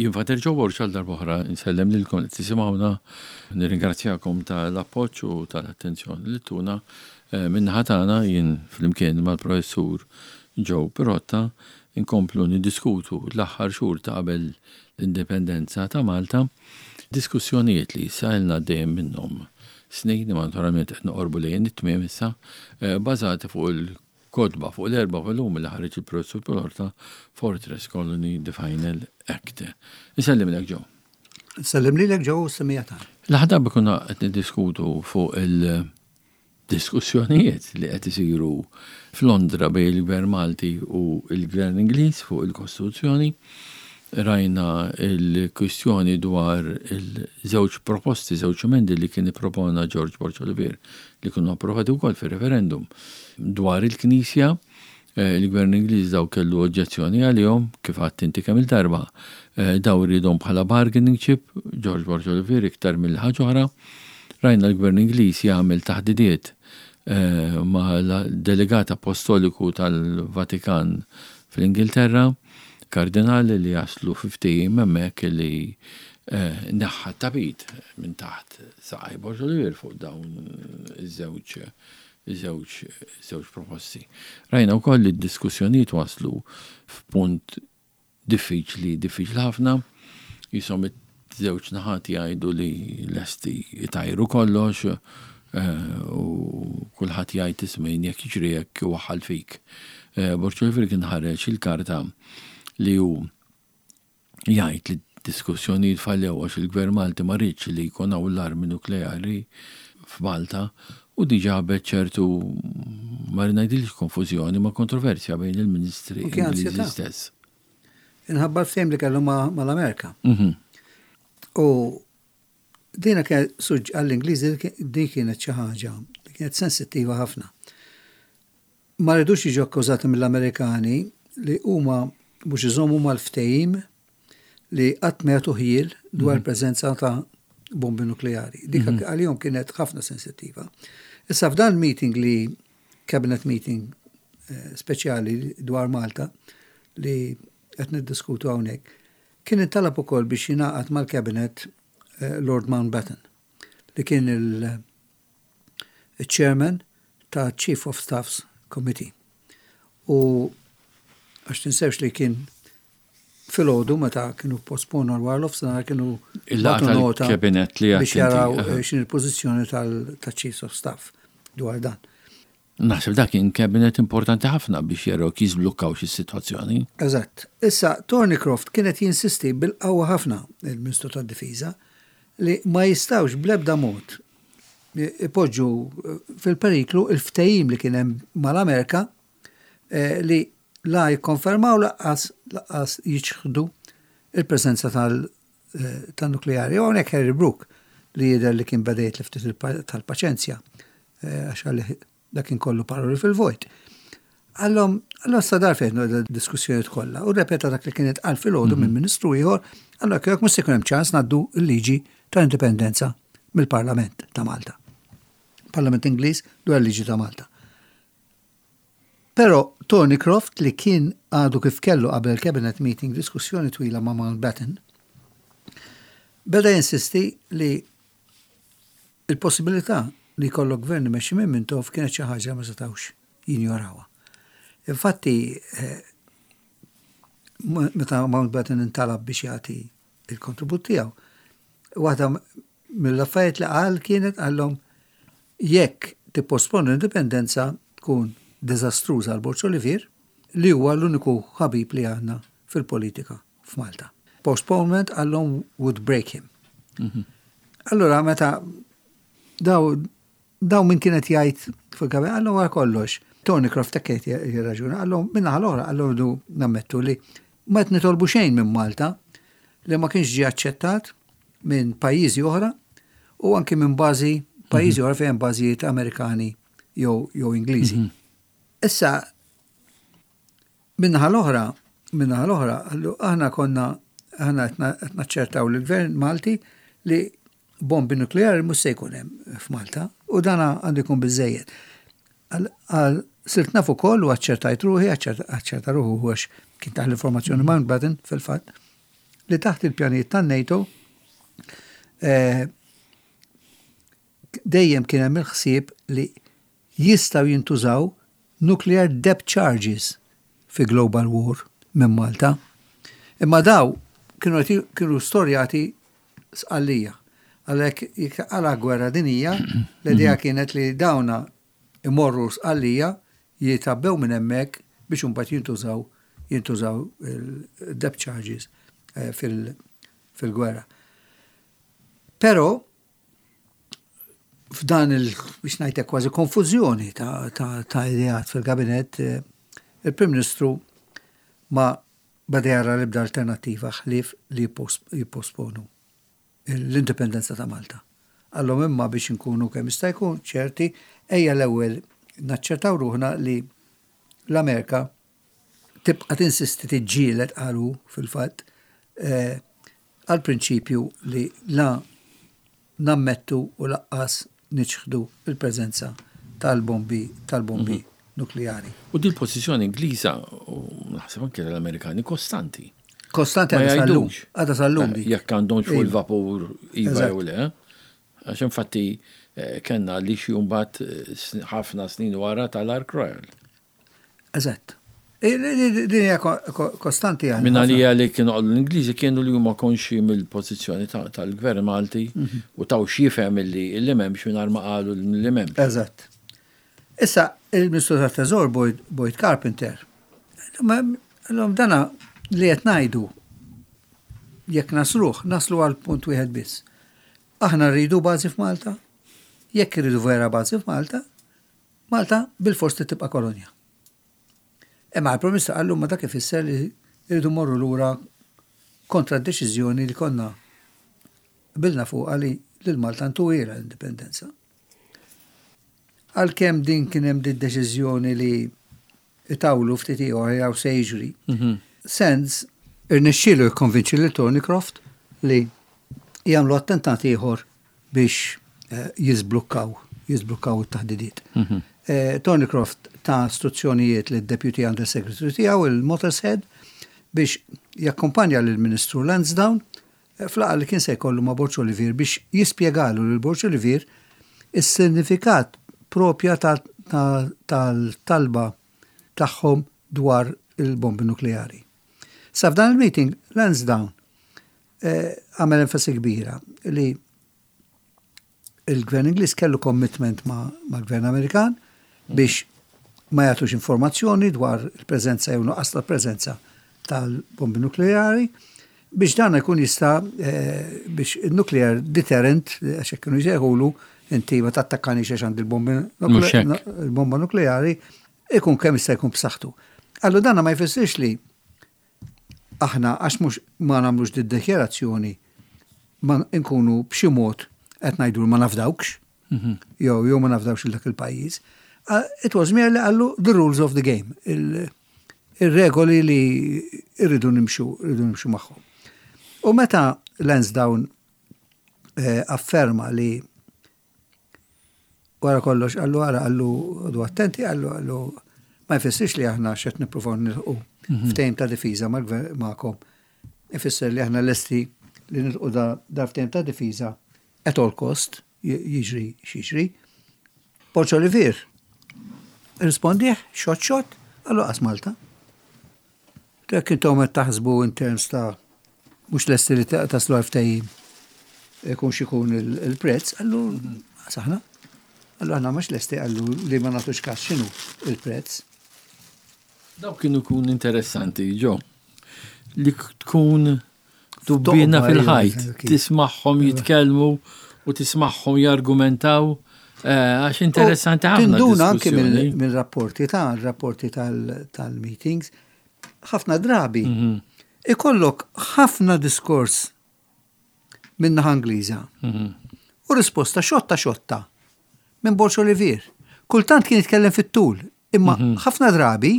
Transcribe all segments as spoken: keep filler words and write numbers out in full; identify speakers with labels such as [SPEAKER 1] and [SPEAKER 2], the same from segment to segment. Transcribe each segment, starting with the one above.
[SPEAKER 1] Jien Father Joe Borg, għal darb'oħra nsellem lilkom li tisimgħuna, nirringrazzjakom tal-appoġġ u tal-attenzjoni li tuna. Eh, min-naħa tagħna, jien flimkien mal-professur Joe Pirotta inkomplu niddiskutu l-aħħar xhur ta' qabel l-indipendenza ta' Malta, diskussjonijiet li issa ilna dejjem minnhom snin, imma naturalment qed noqorbu lejn it-tmiem issa, eh, bażati fuq il-kotba, fuq l-erba' volumi li ħareġ il-professur Pirotta, Fortress Colony, The Final Act. Insellimlek, Joe.
[SPEAKER 2] Nsellim lilek, Joe, u s-semmiegħa tagħna.
[SPEAKER 1] L-aħħar darba konna qed niddiskutu fuq il-diskussjonijiet li qed isiru f'Londra bejn il-Gvern Malti u il-Gvern Ingliż fuq il-Kostituzzjoni. Rajna il-kwistjoni dwar il-żewġ proposti, żewġ emendi li kien ippropona George Borg Olivier li kienu approvati wkoll fir-referendum dwar il-Knisja. Eh, Il-Gvern Ingliż daw kellu oġġezzjoni għalihom, kif għedt inti kemm il-darba. Eh, Daw riedhom bħala bargaining chip, George Borg Olivier iktar mill-ħaġa oħra. Rajna l-Gvern Ingliż jagħmel taħdidiet eh, ma' delegat apostoliku tal-Vatikan fl-Ingilterra, kardinali, li jaslu fi ftehim hemmhekk li eh, neħħa tapit minn taħt saqaj Borg Olivier fuq dawn iż-żewġ żewġ żewġ proposti. Rajna wkoll li d-diskussjonijiet waslu f'punt diffiċli, diffiċli ħafna, jisom iż-żewġ naħat jgħidu li lesti jtajru kollox eh, u kulħadd jgħid, "Isma', jekk jiġri hekk waħħal fik." Eh, Borg Olivier kien ħareġ il-karta li hu jgħid li diskussjonijiet fallew għax il-Gvern Malti ma riedx li jkun hawn l-armi nukleari f'Malta u diġà ġabet ċertu, ma ngħidilx konfużjoni, ma kontroversja bejn il-ministri
[SPEAKER 2] U kien
[SPEAKER 1] Ingliżi
[SPEAKER 2] ansjetà.
[SPEAKER 1] stess.
[SPEAKER 2] Inħabba l-ftehim li kellu ma- mal-Amerika.
[SPEAKER 1] Mhm.
[SPEAKER 2] U dina kien suġ għall-Ingliżi, din kienet xi ħaġa li kienet sensittiva ħafna. Ma ridux jiġu akkużati mill-Amerikani li huma mhux iżommu mal-ftehim li qatt ma jagħtu ħjiel dwar preżenza ta' bombi nukleari. Dik għalihom kienet ħafna sensittiva. Issa f'dan meeting li cabinet meeting eh, speċjali dwar Malta li qed niddiskutu hawnhekk, kien intalab ukoll biex jingħaqad mal-cabinet eh, Lord Mountbatten, li kien il-chairman ta' Chief of Staffs Committee. U għax tinsewx li kien filgħodu meta kienu posponu l-war nofsinhar kienu
[SPEAKER 1] Il-laqgħa
[SPEAKER 2] bagħtu nota
[SPEAKER 1] tal-cabinet li
[SPEAKER 2] biex
[SPEAKER 1] għedt inti,
[SPEAKER 2] jaraw
[SPEAKER 1] aha.
[SPEAKER 2] eh, x'in il-pożizzjoni tal-Chiefs of Staff dwar dan.
[SPEAKER 1] Naħseb dak kien cabinet importanti ħafna biex jaraw kif jiżblukkaw xi sitwazzjoni.
[SPEAKER 2] Eżatt. Issa, Thornycroft kienet jinsisti bil-qawwa ħafna, il-Ministru tad-Difiża, li ma jistawx bl-ebda mod ipoġġu fil-periklu il-ftehim li kien hemm mal-Amerika eh, li la jikkonfermaw lanqas lanqas jiċħdu il-preżenza tal- eh, tal-nukleari. U hawnhekk Harry Brooke, li jidher li kien beda jitlef ftit il-pa- tal-paċenzja, eh, għax għalli dak kien kollu paroli fil-vojt. Għallhom, għallhom sa dar fejn diskussjoni kollha u repeta dak li kienet qal filgħodu minn ministru ieħor, għallhom jekk mhux se jkun hemm ċans ngħaddu l-liġi tal-indipendenza mill-Parlament ta' Malta. Parlament Ingliż dwar l-liġi ta' Malta. Però Thornycroft, li kien għadu kif kellu qabel il-cabinet meeting diskussjoni twila ma' Mountbatten, beda jinsisti li il-possibilità li jkollok gvern imexxi minn Mintoff kienet xi ħaġa ma setgħux jinjorawha. Infatti, eh, meta Mountbatten intalab biex jagħti il-kontribut tiegħu, waħda mill-affarijiet li qal kienet, qallhom, jekk tipposponu l-indipendenza tkun diżastruża għal Borg Olivier, li huwa l-uniku ħabib li għandna fil-politika f'Malta. Postponement, qallhom, would break him. Allora meta daw daw min kienet jgħid fil-kabe, għallhom għal kollox. Thornycroft tekket jirraġuna, qallhom min-naħa l-oħra, qallhom du nammettu li ma qed nitolbu xejn minn Malta li ma kienx ġie aċċettat minn pajjiżi oħra u anki minn bażi pajjiżi oħra fejn bażijiet Amerikani jew jew Ingliżi. Issa min-naħa l-oħra, min-naħa l-oħra, għallu aħna konna aħna qed naċċertaw lill-gvern Malti li bombi nukleari mhux se jkun hemm f'Malta u dana għandu jkun biżejjed. Għal sirt naf ukoll u aċċertajt ruħi, aċċerta ruħu għax kien taħ l-informazzjoni Mountbatten fil-fatt, li taħt il-pjanijiet tan-NATO eh, dejjem kien hemm il-ħsieb li jistgħu jintużaw nuclear depth charges fi global war minn Malta. Imma daw kienu kienu storjati Sqallija. Għalhekk jekk għala gwerra dinija, l-idea kienet li dawna imorru Sqallija, jitgħabbew minn hemmhekk biex imbagħad jintużaw jintużaw il-depth charges eh, fil-gwerra. Però f'dan il biex ngħidlek kważi konfużjoni ta', ta, ta' ideat fil-kabinet, eh, il-Prim Ministru ma bada jara l-ebda alternattiva ħlief li jipposponu l-indipendenza ta' Malta. Għallhom imma biex nkunu kemm jista' jkun ċerti, ejja l-ewwel naċċertaw ruħna li l-Amerika tibqa' tinsisti, tiġġieled, qalu fil-fatt, eh, għal prinċipju li la nammettu u lanqas niċħdu il-preżenza tal-bombi tal-bombi mhm. nukleari.
[SPEAKER 1] U din pożizzjoni Ingliża u naħseb anke l-Amerikani kostanti.
[SPEAKER 2] Kostanti għadha sal-lum. Għadha sal-lum.
[SPEAKER 1] Eh, jekk għandhom fuq iva. il-vapur iva jew le. Għax infatti eh, kellna li xi mbagħad eh, ħafna snin wara tal-Ark Royal.
[SPEAKER 2] Eżatt. Din hija kostanti għal.
[SPEAKER 1] Minna li li kienu għallu l-Ingliżi kienu li huma konxi mill-pożizzjoni tal-gvern Malti mhm. u taw x'jifhem li li m'hemmx mingħajr ma qalu li m'hemmx.
[SPEAKER 2] Eżatt. Issa, il-Ministru tat-Teżor Boyd Carpenter, l dana li qed ngħidu jekk nasluh, naslu għal punt wieħed biss. Aħna rridu bażi f'Malta, jekk irridu vera bażi f'Malta, Malta bil-fors tibqa' kolonja. Imma il-Prim Ministru qallu ma dak ifisser li rridu morru lura kontra d-deċiżjoni li konna qbilna fuq li lil Malta ntuha l-indipendenza. Għalkemm din kien hemm din deċiżjoni li itawlu ftit ieħor jew se jiġri. Mhm. Sands irnexxielu jikkonvinċi lil Thornycroft li jagħmlu attentat ieħor biex eh, jiżblukkaw jiżblukkaw it-taħdidiet. Mhm. Eh, Thornycroft ta istruzzjonijiet lid Deputy Under Secretary tiegħu, il-Mottershead, biex jakkompanja lill-Ministru Lansdowne eh, f'laqgħa li kien se jkollu ma' Borg Olivier biex jispjegalu lil Borg Olivier is-sinifikat propja tal-talba tagħhom dwar il-bombi nukleari. Sa f'dan il-meeting, Lansdowne eh, għamel enfasi kbira li il-gvern Ingliż kellu commitment ma' ma' gvern Amerikan biex ma jagħtux informazzjoni dwar il-preżenza jew nuqqas tal-preżenza tal-bombi nukleari biex dan ikun jista' eh, biex il-nuclear deterrent, għax kienu jsejħulu, inti ma tattakkani għax għandi il-bomba nukleari, ikun kemm jista' jkun b'saħħtu. Allura dana ma jfissirx li aħna għax mhux ma nagħmlux di dikjarazzjoni ma nkunu b'xi mod qed ngħidu ma nafdawkx, mhm. jew jew ma nafdawx il dak il-pajjiż. It was merely, qallu, the rules of the game, il-regoli li irridu nimxu, irridu nimxu magħhom. U meta Lansdowne eh, afferma li wara kollox qallu għara qallu du attenti, qallu qallu ma jfissirx li aħna xed nippruvaw nilħqu mhm. ftehim ta' difiża magħkom. Ifisser li aħna lesti li nilħqu da ftehim ta' difiża at all cost, jiġri x'jiġri. Borg Olivier rispondih xott xott, qallu qas Malta. Dak intom qed taħsbu in terms ta' mhux lesti li taslu għal ftehim ikun x'ikun il-prezz, qallu saħna. Qallu aħna mhux lesti, qallu, li ma nagħtux kas x'inhu il-prezz.
[SPEAKER 1] Daw kienu kun interessanti, ġo. Li tkun tubbina fil-ħajt, tismagħhom jitkellmu u tismagħhom jargumentaw. Eh, għax interessanti ħafna.
[SPEAKER 2] Tinduna anke mill-rapporti ta' rapporti tal-meetings, ħafna drabi mhm. ikollok ħafna diskors min-naħa Ingliża. Mhm. U risposta xotta xotta minn Borg Olivier. Kultant kien jitkellem fit-tul, imma mhm. ħafna drabi,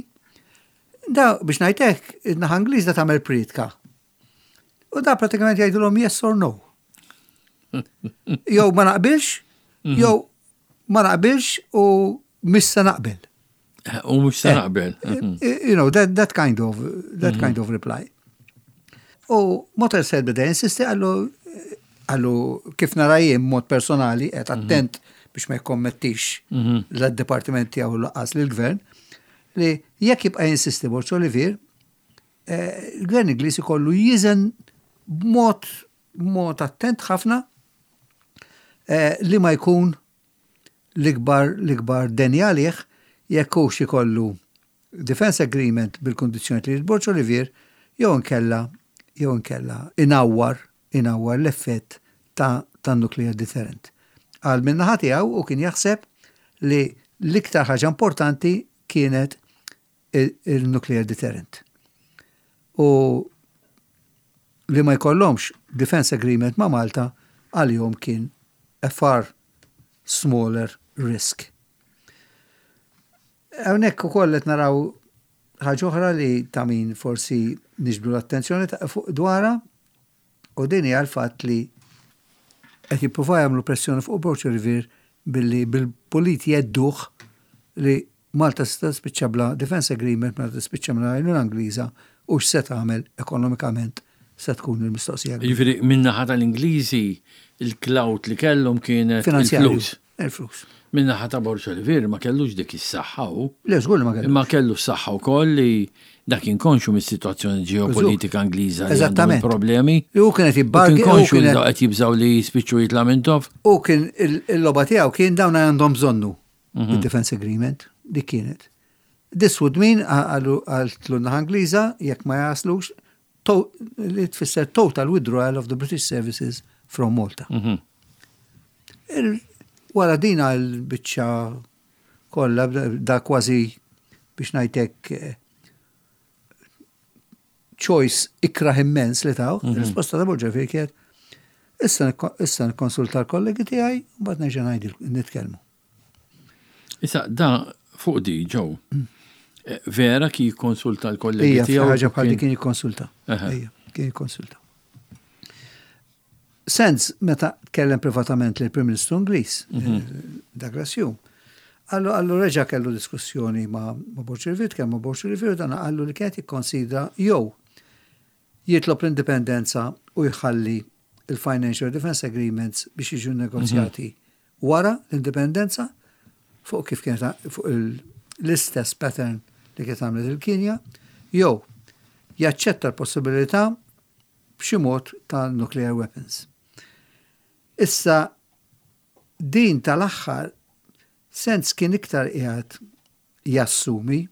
[SPEAKER 2] da biex ngħidlek, in-naħa Ingliża tagħmel pritka. U da pratikament jgħidulhom yes or no. Jew ma naqbilx, mhm. jew ma naqbilx u missa naqbel.
[SPEAKER 1] U mhux se eh, naqbel.
[SPEAKER 2] Eh, you know, that, that kind of that kind of reply. U Mottershead beda jinsisti, qallu qallu kif nara jien mod personali, qed attent biex ma jkommettix l-departiment tiegħu lanqas lill-gvern, li jekk jibqa' jinsisti Borg Olivier, eh, il-gvern Ingliż ikollu jiżen b'mod mod attent ħafna eh, li ma jkun l-ikbar l-ikbar deni għalih jekk hux ikollu defense agreement bil-kondizzjoni li Borg Olivier jew inkella jew inkella inawwar inawwar l-effett ta' ta' nuclear deterrent. Għal min-naħa tiegħu u kien jaħseb li l-iktar ħaġa importanti kienet il-nuclear deterrent. U li ma jkollhomx defense agreement ma' Malta għalihom kien a far smaller risk. Hawnhekk ukoll qed naraw ħaġa oħra li ta' min forsi niġbdu l-attenzjoni fuq dwarha, u din hija l-fatt li qed jippruvaw jagħmlu pressjoni fuq Borg Olivier billi bil-pulit jgħidduh li Malta se tispiċċa bla defense agreement, Malta tispiċċa bla għajnuna Ingliża, u x'se tagħmel ekonomikament se tkun il-mistoqsija.
[SPEAKER 1] Jiġifieri min-naħa tal-Ingliżi il-clout li kellhom kienet il-flus.
[SPEAKER 2] Il-flus.
[SPEAKER 1] Min-naħa ta' Borg Olivier ma kellux dik is-saħħa u.
[SPEAKER 2] Le, żgur ma kellu.
[SPEAKER 1] Imma kellu s-saħħa wkoll li dak kien konxu mis-sitwazzjoni ġeopolitika Ingliża li għandhom
[SPEAKER 2] Eżattament.
[SPEAKER 1] problemi.
[SPEAKER 2] Li hu kienet
[SPEAKER 1] U
[SPEAKER 2] jibbargi.
[SPEAKER 1] kien konxu li qed jibżaw li jispiċċu jitla' Mintoff.
[SPEAKER 2] U kien il-logħba tiegħu kien dawn għandhom bżonnu il-defense agreement, dik kienet. This would mean, għallu għaltlu naħa Ingliża, jekk ma jaslux, to- li tfisser total withdrawal of the British services from Malta. Il- Wara din għal-biċċa kollha, da kważi biex ngħidlek eh, choice ikraħ immens li taw, il-risposta ta' Borg Olivier kienet issa nikko- issa nikkonsulta l-kollegi tiegħi u mbagħad nerġa' ngħidil nitkellmu.
[SPEAKER 1] Issa, da fuq di ġew. Eh, Vera ki konsulta l-kollegi
[SPEAKER 2] Ija,
[SPEAKER 1] tiegħu.
[SPEAKER 2] ħaġa bħal di
[SPEAKER 1] kien-
[SPEAKER 2] kien jikkonsulta.
[SPEAKER 1] Aha.
[SPEAKER 2] Ija, kien jikkonsulta. Sands, meta tkellem privatament lill prim Ministru Ingliż, eh, Douglas Home, qallu qallu reġa kellu diskussjoni ma' ma' Borg Olivier, tkellem ma' Borg Olivier, dan qallu li kienet jikkonsidra jew jitlob l-indipendenza u jħalli il-Financial Defense Agreements biex jiġu negozjati wara l-indipendenza fuq kif kienet fuq il- l-istess pattern li kienet għamlet il-Kinja, jew jaċċetta l-possibilità b'xi mod ta' nuclear weapons. Issa din tal-aħħar Sands kien iktar qiegħed jassumi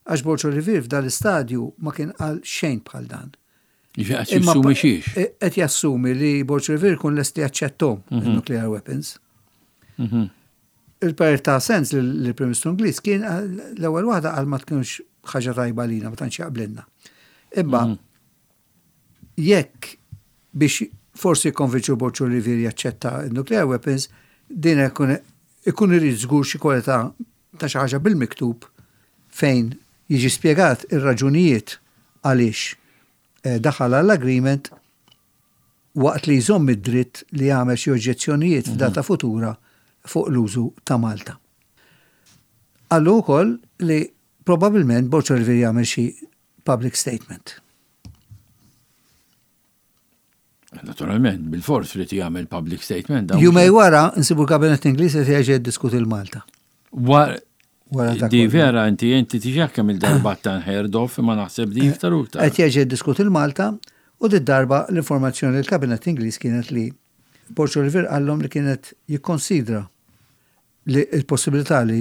[SPEAKER 2] għax Borg Olivier f'dal istadju ma kien qal xejn bħal dan.
[SPEAKER 1] Jiġifieri qed jassumi xiex.
[SPEAKER 2] e- Qed jassumi li Borg Olivier kun lest li jaċċettom il-nuclear weapons.
[SPEAKER 1] Mhm.
[SPEAKER 2] Il-parir ta' Sands li prim Ministru Ingliż kien eh, l-ewwel waħda qal ma tkunx ħaġa tajba lina, ma tantx jaqblilna. Imma jekk biex forsi jikkonvinċu Borg Olivier jaċċetta il-nuclear weapons, din ikun ikun irid żgur xi kwalità ta' xi ħaġa bil-miktub fejn jiġi spjegat ir-raġunijiet għaliex eh, daħal għall-agreement waqt li jżomm id-dritt li jagħmel xi oġġezzjonijiet f'data futura fuq l-użu ta' Malta. Qallu wkoll li probabbilment Borg Olivier jagħmel xi public statement.
[SPEAKER 1] Naturalment, bil-fors li jagħmel public statement. dawn.
[SPEAKER 2] Jumejn wara nsibu l-kabinet Ingliż qed jerġa' jiddiskuti l-Malta.
[SPEAKER 1] War-
[SPEAKER 2] Wara dak
[SPEAKER 1] Di
[SPEAKER 2] kollu.
[SPEAKER 1] vera inti inti tiġa kemm il-darba unheard of imma naħseb di iktar u iktar.
[SPEAKER 2] Qed jerġa' jiddiskuti l-Malta u di darba l-informazzjoni li l-kabinet Ingliż kienet li Borg Olivier qallhom li kienet jikkonsidra li il-possibilità li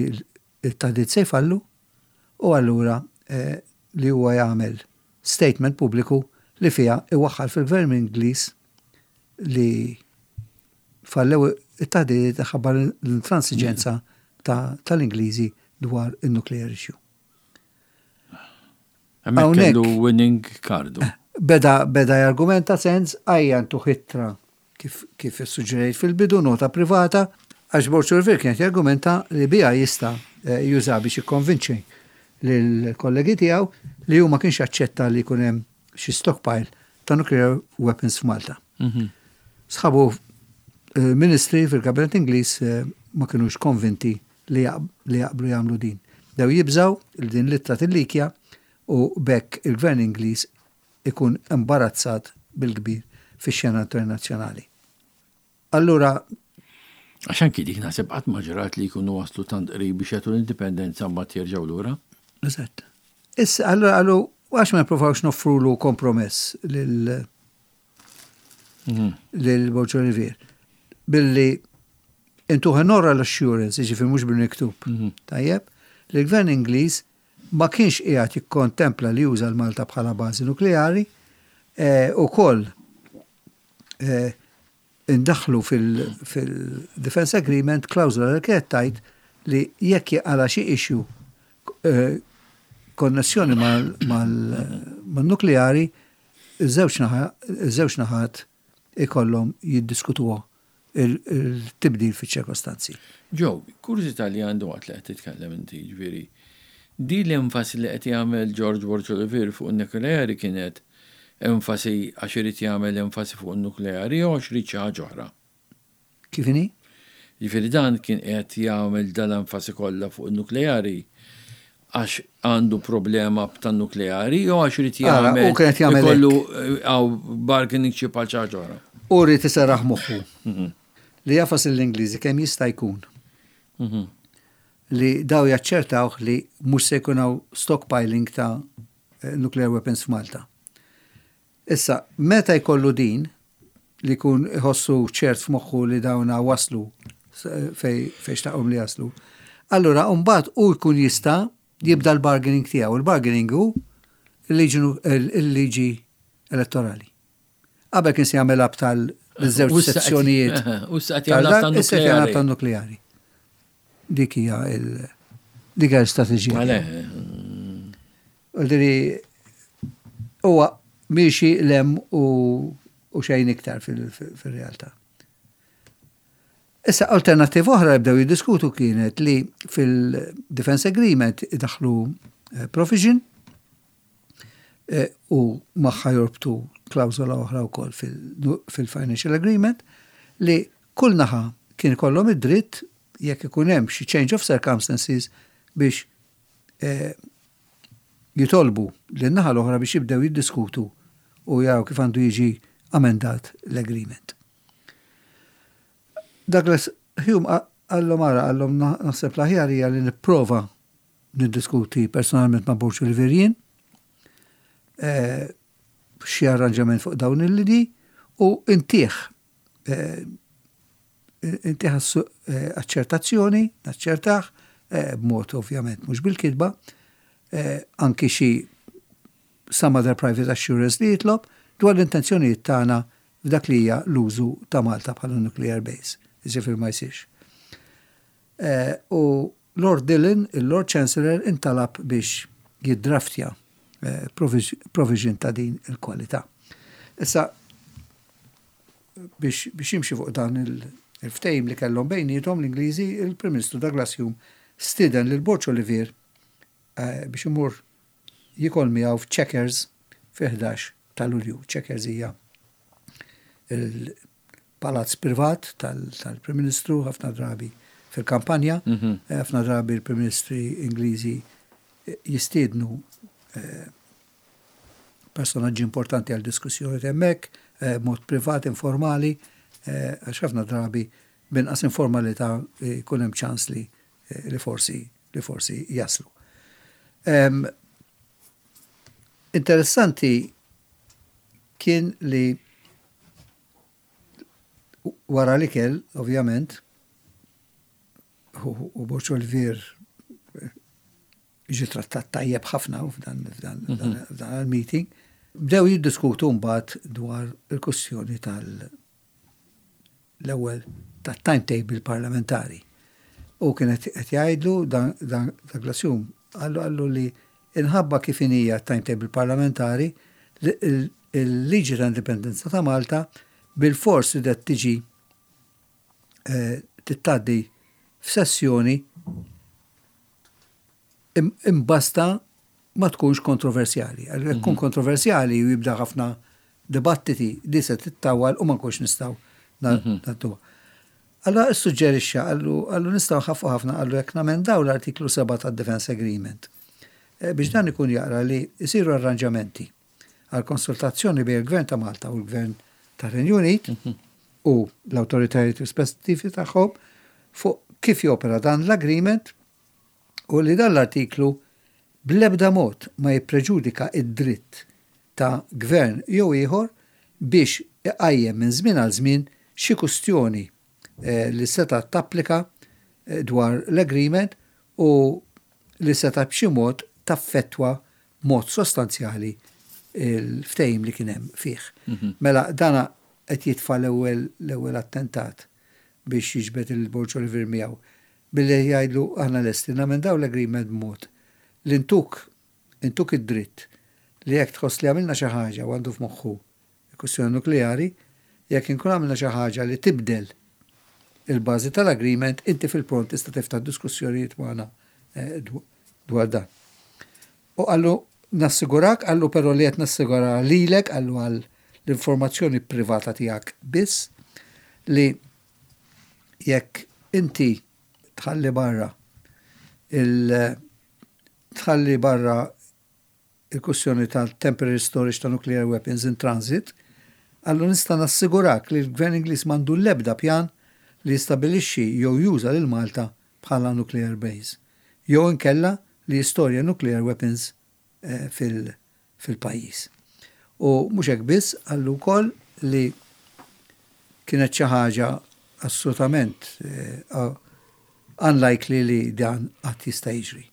[SPEAKER 2] il-taħdit se jfallu u allura eh, li huwa jagħmel statement pubbliku li fiha iwaħħal fil-gvern Ingliż li fallew it-taħdiet ħabba l-intransiġenza ta- tal-Ingliżi dwar il-nuclear issue.
[SPEAKER 1] Hemmhekk
[SPEAKER 2] hawnhekk-
[SPEAKER 1] kellu winning card.
[SPEAKER 2] Beda, beda jargumenta Sands għajja ntu ittra kif, kif suġġerejt fil-bidu, nota privata, għax Borg Olivier kienet jargumenta li bija jista eh, juża biex jikkonvinċi lill-kollegi tiegħu li hu ma kienx jaċċetta li jkun hemm xi stockpile ta' nuclear weapons f'Malta.
[SPEAKER 1] Mhm.
[SPEAKER 2] Sħabu eh, ministri fil-kabinet Ingliż eh, ma kienux konvinti li jaqb- li jaqblu jagħmlu din. Dew jibżaw li din l-ittra tillikja u b'hekk il-gvern Ingliż Ikun imbarazzat bil-kbir fix-xena internazzjonali. Allura
[SPEAKER 1] Għax anki dik naħseb qatt ma ġrat li jkunu waslu tant qrib biex jagħtu l-indipendenza, mbagħad jerġgħu lura.
[SPEAKER 2] Eżatt. Issa, allura għallu, għax ma nippruvawx noffrulu kompromess lil lil Borg Olivier billi intuh an oral assurance, jiġifieri mhux bil-miktub. Tajjeb, li l-gvern Ingliż ma kienx qiegħed jikkontempla li juża l-Malta bħala bażi nukleari eh, u koll eh, indaħlu fil-Defense Agreement klawżola li kienet tgħid li jekk jaqala xi issue eh, konnessjoni mal-nukleari, iż-żewġ naħat ikollhom jiddiskutuha il-tibdil fiċ-ċirkostanzi.
[SPEAKER 1] Joe, kurżità li għandi waqt li qed titkellem inti, ġifieri, di l-enfasi li qed jagħmel George Borg Olivier fuq in-nukleari kienet enfasi għax irid jagħmel enfasi fuq in-nukleari jew għax irid xi ħaġa oħra?
[SPEAKER 2] Kif inhi?
[SPEAKER 1] Ġifieri dan kien qed jagħmel dal-enfasi kollha fuq in-nukleari għax għandu problema tan-nukleari jew għax irid
[SPEAKER 2] Ara,
[SPEAKER 1] jagħmel
[SPEAKER 2] u kienet jagħmel
[SPEAKER 1] ikollu għaw bargaining chip għal xi ħaġa oħra?
[SPEAKER 2] U rrid iserraħ moħħu li jagħfas l-Ingliżi kemm jista' jkun li daw jaċċertawh li mhux se jkun hawn stockpiling ta' nuclear weapons f'Malta. Issa, meta jkollu din li jkun iħossu ċert f'moħħu li dawna waslu fej fej xtaqhom li jaslu, allura mbagħad u jkun jista' jibda l-bargaining tiegħu. Il-bargaining hu il-liġi elettorali. Qabel kien se jagħmel tal-żewġ
[SPEAKER 1] U issa qed-
[SPEAKER 2] sezzjonijiet.
[SPEAKER 1] U issa qed jagħmel
[SPEAKER 2] Issa qed jagħmel
[SPEAKER 1] tan-nukleari.
[SPEAKER 2] tan-nukleari. Dik hija il dik hija l-istrateġija.
[SPEAKER 1] Għale,
[SPEAKER 2] Għaldiri, huwa miexi lem u, u xejn iktar fil-realtà. Issa, alternativa oħra li bdew jiddiskutu kienet li fil-Defense Agreement idaħlu eh, provision eh, u magħha jorbtu klawzola oħra wkoll fil-Financial Agreement li kull naħa kien ikollhom id-dritt, jekk ikun hemm xi change of circumstances, biex eh, jitolbu lin-naħa l-oħra biex jibdew jiddiskutu u jaraw kif għandu jiġi amendat l-agreement. Douglas Hume qallhom ara, qallhom, naħseb l-aħjar hija li nipprova niddiskuti personalment ma' Borg Olivier jien eh, xi arranġament fuq dawn il-lidi u intih eh, intih eh, aċċertazzjoni, naċċertaħ b'mod ovvjament mhux bil-kitba, anki xi some other private assurance li jitlob dwar l-intenzjonijiet tagħna f'dak li hija l-użu ta' Malta bħala nuclear base, jiġifieri ma jsirx. U Lord Dillon, il-Lord Chancellor, intalab biex jiddraftja provision ta' din il-kwalità. Issa, biex, biex jimxi fuq dan il-ftehim li kellhom bejniethom l-Ingliżi, il-Prim Ministru Douglas Hume stieden lil Borg Olivier biex imur jikol miegħu f'Checkers fi ħdax ta' Lulju. Checkers hija il-palazz privat tal-Prim Ministru ħafna drabi fil-kampanja, ħafna drabi il-Prim Ministri Ingliżi jistiednu personaġġi importanti għal diskussjoni hemmhekk, mod privat, informali, għax ħafna drabi b'inqas informalità jkun hemm ċans li li forsi li forsi jaslu. Interessanti kien li wara li kell, ovvjament, u Borg Olivier ġi trattat tajjeb ħafna f'dan f'dan il-meeting, bdew jiddiskutu mbagħad dwar il-kwestjoni tal- l-ewwel tat-timetable parlamentari. U kienet qed jgħidlu dan Douglas Hume, qallu qallu li inħabba kif hija timetable parlamentari, il-liġi ta' indipendenza ta' Malta bil-fors li tiġi tgħaddi f'sessjoni imbasta ma tkunx kontroversjali. Għal tkun kontroversjali u jibda ħafna dibattiti, di se tittawal u ma nkunx nistgħu ngħadduha. Allora suġġerixxa, qallu qallu nistgħu nħaffu ħafna, qallu, jekk namendaw l-artiklu sebgħa tad-Defense Agreement. Biex dan ikun jaqra li jsiru arranġamenti għal konsultazzjoni bejn il-Gvern ta' Malta u l-Gvern ta' Renju Unit u l-autoritajiet rispettivi tagħhom fuq kif jopera dan l-agreement u li dan l-artiklu bl-ebda mod ma jippreġudika id-dritt ta' gvern jew ieħor biex iqajjem minn żmien għal żmien xi kustjoni eh, li seta' tapplika eh, dwar l-agreement u li seta' b'xi mod taffettwa mod sostanzjali il-ftehim li kien hemm fih. Mhm. Mela dana qed jitfa' l-ewwel l-ewwel attentat biex jiġbed il-Borg Olivier miegħu billi jgħidlu aħna lesti namendaw l-agreement b'mod li ntuk intuk id-dritt li jekk tħoss li għamilna xi ħaġa u għandu f'moħħu il-kwistjoni nukleari, jekk inkun għamilna xi ħaġa li tibdel il-bażi tal-agreement, inti fil-pront tista' tiftaħ diskussjonijiet magħna eh, dwar dan. U qallu nassigurak, qallu però li qed nassigura lilek, qallu għal l-informazzjoni privata tiegħek biss li jekk inti tħalli barra il tħalli barra il-kwestjoni tal-temporary storage ta' nuclear weapons in transit, qallu nista' nassigurak li l-Gvern Ingliż m'għandu l-ebda pjan li jistabilixxi jew juża lil Malta bħala nuclear base. Jew inkella li jistorja nuclear weapons eh, fil-pajjiż. U mhux hekk biss, qallu wkoll li kienet xi ħaġa assolutament eh, unlikely li dan qatt jista' jiġri.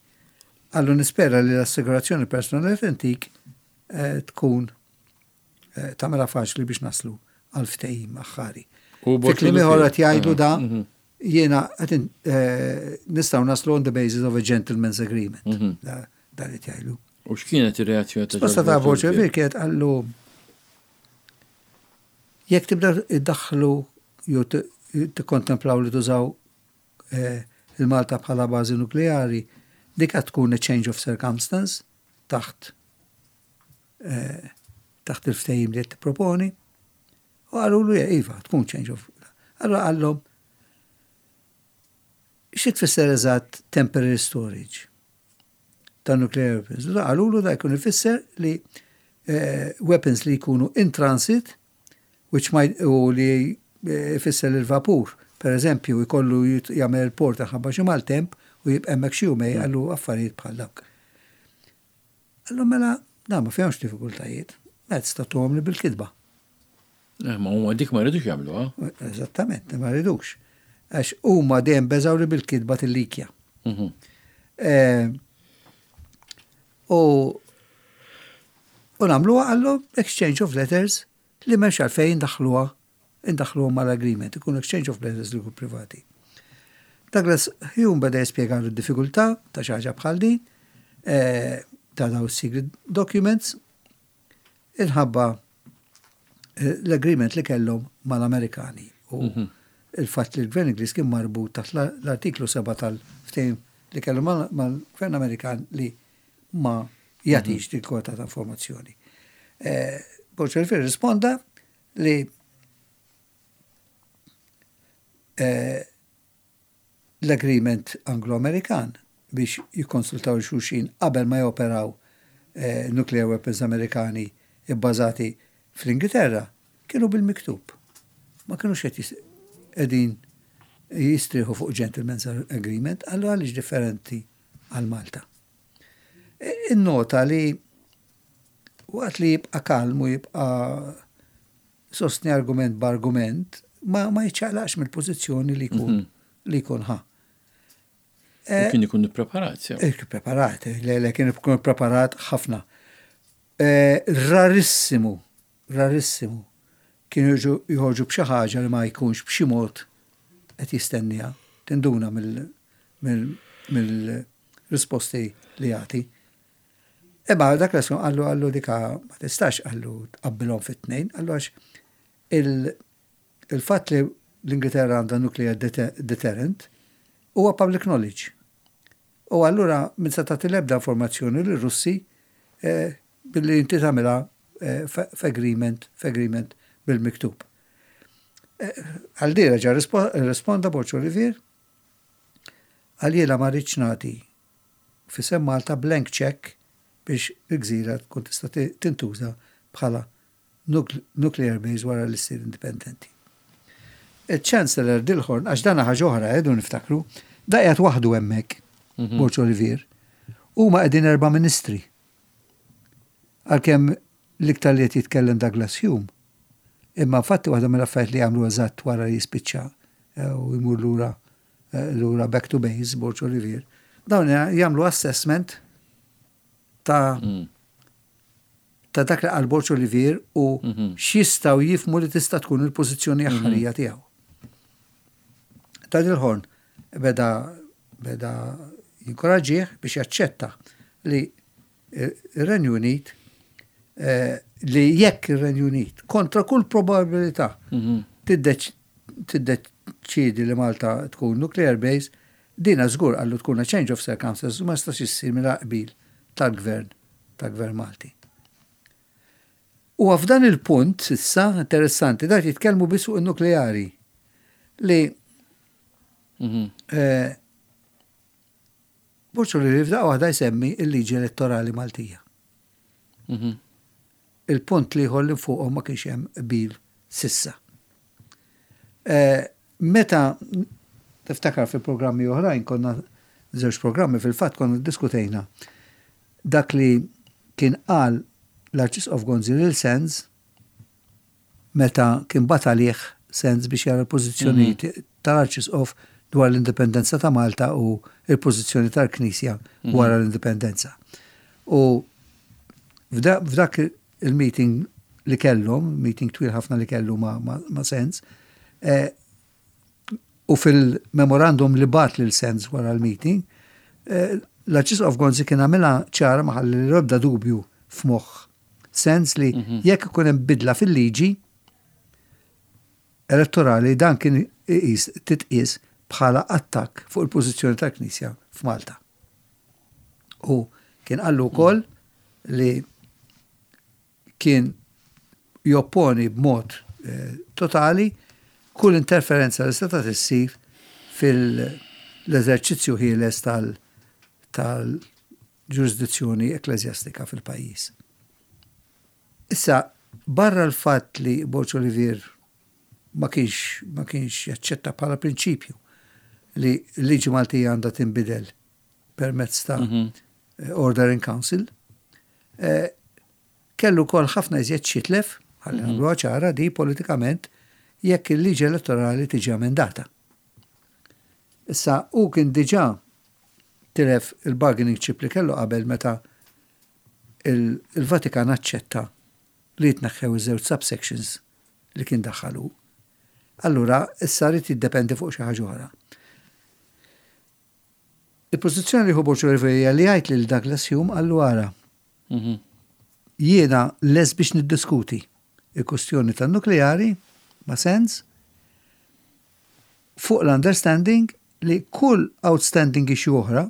[SPEAKER 2] Qallu nispera li l-assigurazzjoni personali intik eh, tkun eh, tagħmilha faċli biex naslu għal ftehim aħħari. Fi kliem ieħor qed jgħidu da mhm. jiena qed nistgħu naslu on the basis of a gentleman's agreement. Mhm. Da li jgħidu.
[SPEAKER 1] U x'kienet ir-reazzjoni
[SPEAKER 2] ta' Risposta ta' Borg Olivier kienet qallu jekk tibda iddaħħlu jew tikkontemplaw li tużaw eh, il-Malta bħala bażi nukleari, dik qed tkun a change of circumstance taħt eh, taħt il-ftehim li qed tipproponi. U qallu iva, tkun change of. Allura qallhom xi tfisser eżatt temporary storage ta' nuclear weapons? Qalulu da jkun ifisser li eh, weapons li jkunu in transit, which might, u li eh, ifisser il-vapur, per eżempju, jkollu jagħmel il-port ħabba xi maltemp u jibqa' hemmhekk xi jumejn, qallu affarijiet bħal dawk. Qallu mela, da ma fihomx diffikultajiet, mela tista' li bil-kitba.
[SPEAKER 1] Eh, ma huma dik ma rridux jagħmlu,
[SPEAKER 2] Eżattament, ma rridux. Għax huma dejjem beżaw li bil-kitba tillikja. Mhm. Eh, u u nagħmluha, qallu, exchange of letters li m'hemmx għalfejn daħluha indaħluha mal-agreement, ikun exchange of letters li privati. Douglas Hume beda jispjega d-diffikultà ta' xi ħaġa bħal din, eh, ta' daw secret documents, inħabba eh, l-agreement li kellhom mal-Amerikani u mhm. il-fatt li l-Gvern Ingliż kien marbut taħt l-artiklu seba' tal-ftehim li kellu mal-Gvern Amerikan li ma jagħtix mhm. din kwota ta' informazzjoni. Eh, Borg risponda li eh, l-agreement Anglo-Amerikan biex jikkonsultaw xulxin qabel ma joperaw eh, nuclear weapons Amerikani ibbażati fl-Ingilterra kienu bil-miktub. Ma kienu qed qegħdin jistriħu fuq gentleman's agreement, qallu għaliex differenti għal Malta. E, innota li waqt li jibqa' kalm u jibqa' sostni argument b'argument, ma, ma jiċċaqlaqx mill-pożizzjoni li jkun mm -hmm. li jkun ħa.
[SPEAKER 1] E, kien ikun preparat,
[SPEAKER 2] sew. Preparat, le, le kien ikun preparat ħafna. E, rarissimu, rarissimu, kienu joħorġu b'xi ħaġa li ma jkunx b'xi mod qed jistennija, tinduna mill-risposti li jagħti. Imma dak l qallu qallu dika ma tistax, qallu, tqabbilhom fit-tnejn, qallu għax il-fatt li l-Ingilterra għandha nuclear deterrent huwa public knowledge. U allura min se tagħti l-ebda informazzjoni lir-Russi eh, billi inti tagħmilha eh, f'agreement f'agreement bil-miktub. Eh, għal di reġa' risponda Borg Olivier, qal jiena ma rridx nagħti f'isem Malta blank check biex il-gżira tkun tista' tintuża bħala nuclear base wara li ssir indipendenti. Il-Chancellor Dilhorne, għax dana ħaġa oħra, edu niftakru, da qiegħed waħdu hemmhekk, mhm. Borg Olivier, huma qegħdin erba' ministri. Għalkemm l-iktar li qed jitkellem Douglas Home, imma fatti waħda mill-affarijiet li għamlu eżatt wara li jispiċċa eh, u jmur lura eh, lura back to base, Borg Olivier, dawn jagħmlu assessment ta' mm. ta' dak li qal Borg Olivier u mhm. x'jistgħu jifhmu li tista' tkun il-pożizzjoni mhm. aħħarija tiegħu. Ta' Dilhorne beda beda jinkoraġġih biex jaċċetta li ir-Renju Unit eh, li jekk ir-Renju Unit kontra kull probabilità mhm. tiddeċidi li Malta tkun nuclear base, dina żgur għallu tkun a change of circumstances u ma jistax issir mingħajr qbil tal-gvern tal-gvern Malti. U f'dan il-punt, issa, interessanti, dak jitkellmu biss fuq il-nukleari li mhm. eh, Borg Olivier f'daqqa waħda jsemmi il-liġi elettorali Maltija. Mhm. Il-punt li li fuqhom ma kienx hemm qbil s'issa. Eh, meta tiftakar fi programmi oħrajn, konna żewġ programmi fil-fatt konna diskutejna dak li kien qal l-Arċisqof Gonzi lil Sands meta kien bagħat għalih Sands biex jara l-pożizzjoni mhm. tal-Arċisqof dwar l-indipendenza ta' Malta u il-pożizzjoni tal-Knisja mhm. wara l-indipendenza. U f'dak il-meeting li kellhom, meeting twil ħafna li kellu ma', ma, ma Sands, eh, u fil-memorandum li bagħat lil Sands wara l-meeting, eh, l-Arċisqof Gonzi kien għamilha ċara, ma ħalli l-ebda dubju f'moħħ Sands li mhm. jekk ikun hemm bidla fil-liġi elettorali, dan kien iqis titqis bħala attakk fuq il-pożizzjoni tal-Knisja f'Malta. U kien qallu wkoll li kien jopponi b'mod eh, totali kull interferenza li seta' issir fil-eżerċizzju ħieles tal-ġurisdizzjoni ekklesjastika fil-pajjiż. Issa, barra l-fatt li Borg Olivier ma kienx ma kienx jaċċetta bħala prinċipju li l-liġi Maltija għandha tinbidel permezz ta' mm -hmm. Order in Council, eh, kellu kol ħafna iżjed x'jitlef, ħalli mm -hmm. ċara di politikament, jekk il-liġi elettorali tiġi emendata. Issa, u kien diġà tilef il-bargaining chip li kellu qabel meta il-Vatikan aċċetta li jitneħħew iż-żewġ subsections li kien daħħalu. Allura, issa rrid jiddependi fuq xi ħaġa oħra. Il-pożizzjoni li hu Borg li jgħid lil Douglas Home qallu ara. Mhm. Jiena lest biex niddiskuti il-kustjoni tan-nukleari ma' Sands fuq l-understanding li kull outstanding issue oħra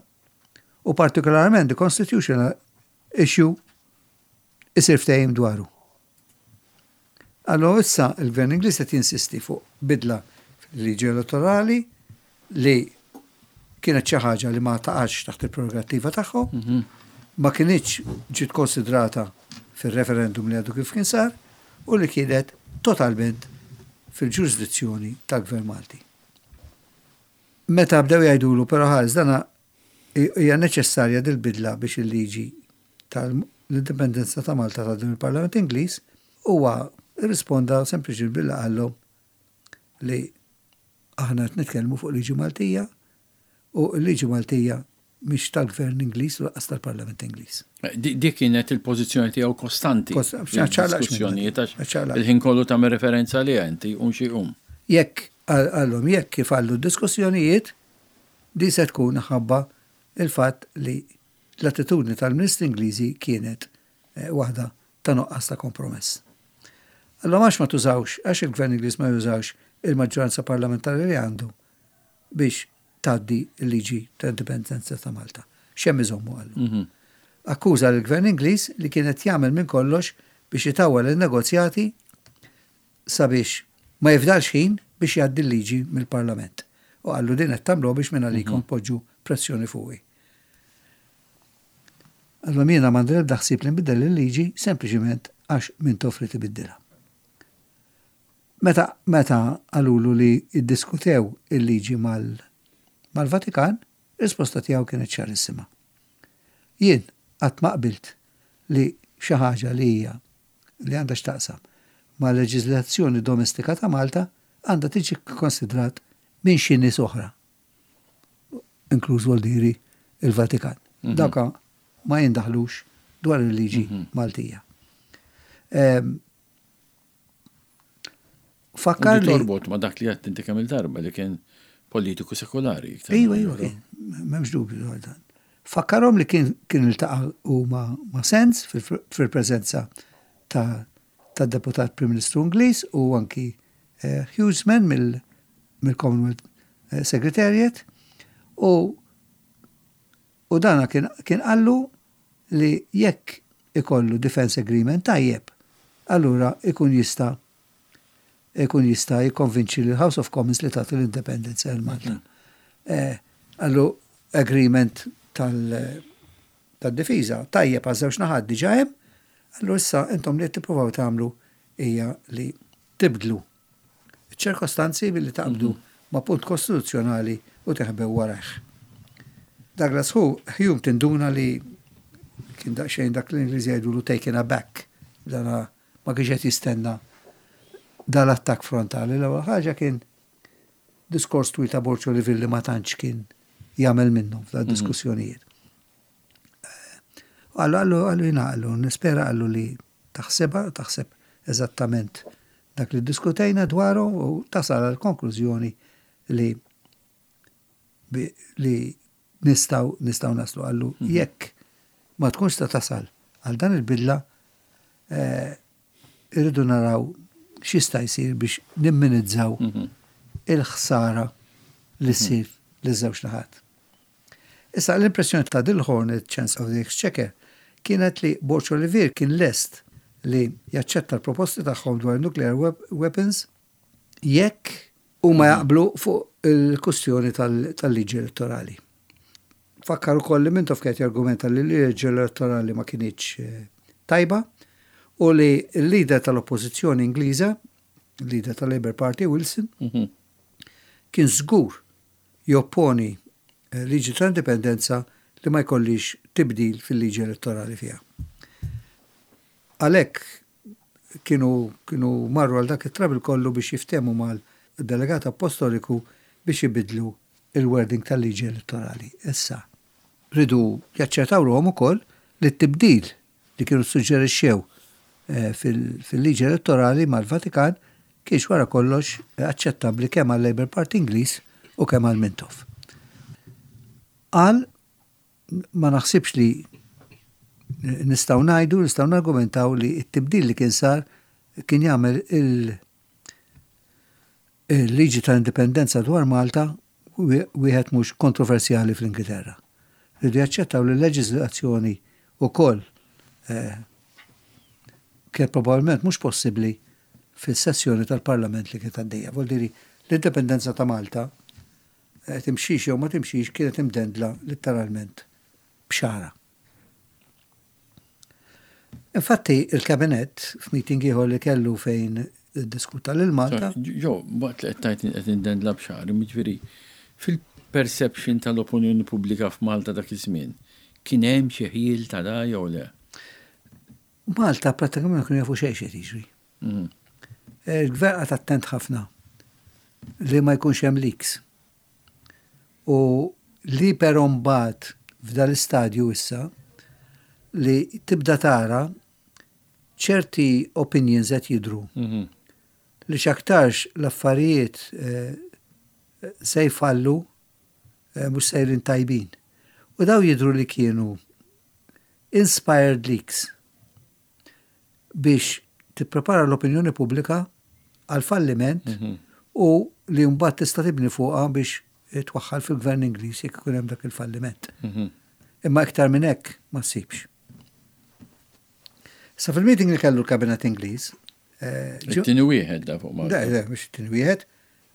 [SPEAKER 2] u partikolarment the constitutional issue isir ftehim dwaru. Allora issa il-Gvern Ingliż qed jinsisti fuq bidla fil-liġi elettorali li kienet xi ħaġa li ma taqax taħt il-prerogattiva tagħhom, mhm. ma kinitx ġiet konsidrata fil-referendum li għadu kif kien sar u li kienet totalment fil-ġurisdizzjoni tal-Gvern Malti. Meta bdew jgħidulu, però ħares dana hija neċessarja dil-bidla biex il-liġi tal-indipendenza ta' Malta ta' din il-Parlament Ingliż, huwa risponda sempliċi billi qallu li aħna qed nitkellmu fuq liġi Maltija u l-liġi Maltija mhix tal-Gvern Ingliż u lanqas tal-Parlament Ingliż.
[SPEAKER 1] Dik kienet il-pożizzjoni tiegħu kostanti. Diskussjonijiet il-ħin kollu tagħmel referenza li inti un xi um.
[SPEAKER 2] Jekk għallhom jekk kif għallu diskussjonijiet, di se tkun ħabba il-fatt li l-attitudni tal-Ministri Ingliżi kienet eh, waħda ta' nuqqas ta' kompromess. Allora għax ma tużawx, għax il-Gvern Ingliż ma jużawx il-maġġoranza parlamentari li għandu biex tgħaddi l-liġi ta' indipendenza ta' Malta? X'hemm iżommu, qallu. Mhm. Akkuża l-Gvern Ingliż li kienet jagħmel minn kollox biex itawwal il-negozjati sabiex ma jifdalx ħin biex jgħaddi l-liġi mill-Parlament. U qallu din qed tagħmlu biex minn għalikom mhm. poġġu pressjoni fuqi. Allora jiena m'għandi l-ebda ħsieb li nbiddel il-liġi, sempliċiment Għax Mintoff ried ibiddilha. Meta, meta qalulu li iddiskutew il-liġi mal-Vatikan, risposta tiegħu kienet ċarissima. Jien qatt ma qbilt li xi ħaġa li hija li għandha x'taqsam ma' leġiżlazzjoni domestika ta' Malta għandha tiġi konsidrat minn xi nies oħra. Inkluż voldiri il-Vatikan. Mhm. Dawka ma jindaħlux dwar il-liġi mhm. Maltija. Ehm,
[SPEAKER 1] fakkar li. Torbot ma dak li għedt inti kemm il-darba li kien politiku sekolari.
[SPEAKER 2] Iva, iva, kien, m'hemmx dubju dwar dan. Fakkarhom li kien kien iltaqa' u ma, ma Sands fil-preżenza ta' tad-deputat Prim Ministru Ingliż u anki eh, Hughesman mill-Commonwealth eh, Secretariat u u dana kien, kien qallu li jekk ikollu defense agreement tajjeb, allura ikun jista' ikun jista' jikkonvinċi l House of Commons li tagħti l-independenza lil Malta. Mm. Eh, qallu agreement tal-difiża tajjeb għaż żewġ naħat diġà hemm, allura issa intom li tippruvaw tagħmlu hija li tibdlu ċirkostanzi billi taqbdu mhm. ma' punt kostituzzjonali u teħbew warajh. Douglas Hume tinduna li kien daqsxejn dak l-Ingliż jgħidulu taken aback, dana ma kienx qed jistenna dal-attakk frontali. L-ewwel ħaġa kien diskors twil ta' Borg Olivier li ma tantx kien jagħmel minnhom f'da mhm. diskussjonijiet. Qallu, qallu, qallu jiena qallu, nispera qallu li taħsebha, taħseb eżattament dak li diskutejna dwaru u tasal għal konklużjoni li li nistgħu nistgħu naslu qallu mhm. jekk ma tkunx ta' tasal għal dan il-bidla eh, irridu naraw x'jista' jsir biex nimminimizzaw mhm. il-ħsara li ssir li żewġ naħat. Issa l-impressjoni ta' Dilhorne, il-Chancellor of the Exchequer, kienet li Borg Olivier kien lest li jaċċetta l-proposti tagħhom dwar nuclear weapons jekk huma jaqblu fuq il-kustjoni tal-liġi elettorali. Fakkar ukoll li Mintoff kien jargumenta li l-liġi elettorali ma kinitx eh, tajba u li l-leader tal-oppożizzjoni Ingliża, l-leader tal-Labour Party Wilson, mhm. kien żgur jopponi eh, liġi ta' indipendenza li ma jkollix tibdil fil-liġi elettorali fiha. Għalhekk kienu, kienu marru għal dak it-trouble kollu biex jiftehmu mal-delegat apostoliku biex jibidlu il-wording tal-liġi elettorali. Issa, riedu jaċċertaw ruħhom ukoll li t-tibdil li kienu suġġerixxew eh, fil-liġi elettorali mal-Vatikan kienx wara kollox aċċettabbli kemm għal-Labour Party Ingliż u kemm għal Mintoff. Qal ma naħsibx li nistgħu ngħidu, nistgħu nargumentaw li t-tibdil li kien sar kien jagħmel il-liġi tal-indipendenza dwar Malta wieħed mhux kontroversjali fl-Ingilterra. Riedu jaċċettaw li l-leġiżlazzjoni wkoll eh, kien probabbilment mhux possibbli fis-sessjoni tal-Parlament li kienet għaddejja. Vuol l-indipendenza ta' Malta eh, timxix jew ma timxix kienet imdendla letteralment b'xagħra. Infatti, il-kabinet f'meeting ieħor li kellu fejn diskuta lil Malta.
[SPEAKER 1] Jo, waqt li qed tgħid qed imdendla b'xagħra, jiġifieri fil-perception tal-opinjoni pubblika f'Malta dak iż-żmien, kien hemm xi ħjiel ta' da jew le?
[SPEAKER 2] Malta prattikament ma kienu jafu xejn xejn jiġri. Mhm. Il-gvern qagħad attent ħafna li ma jkunx hemm leaks. U li però mbagħad f'dal-istadju issa li tibda tara ċerti opinions qed jidru mhm. li x'aktarx l-affarijiet eh, se jfallu eh, mhux sejrin tajbin. U daw jidru li kienu inspired leaks biex tipprepara l-opinjoni pubblika għal falliment mhm. u li mbagħad tista' tibni fuqha biex twaħħal fil-gvern Ingliż jekk ikun hemm dak il-falliment. Mhm. Imma iktar minn hekk ma ssibx. Sa fil-meeting li kellu l-kabinet Ingliż.
[SPEAKER 1] Eh, it-tieni wieħed da fuq
[SPEAKER 2] Malta. Da, mhux it-tieni wieħed.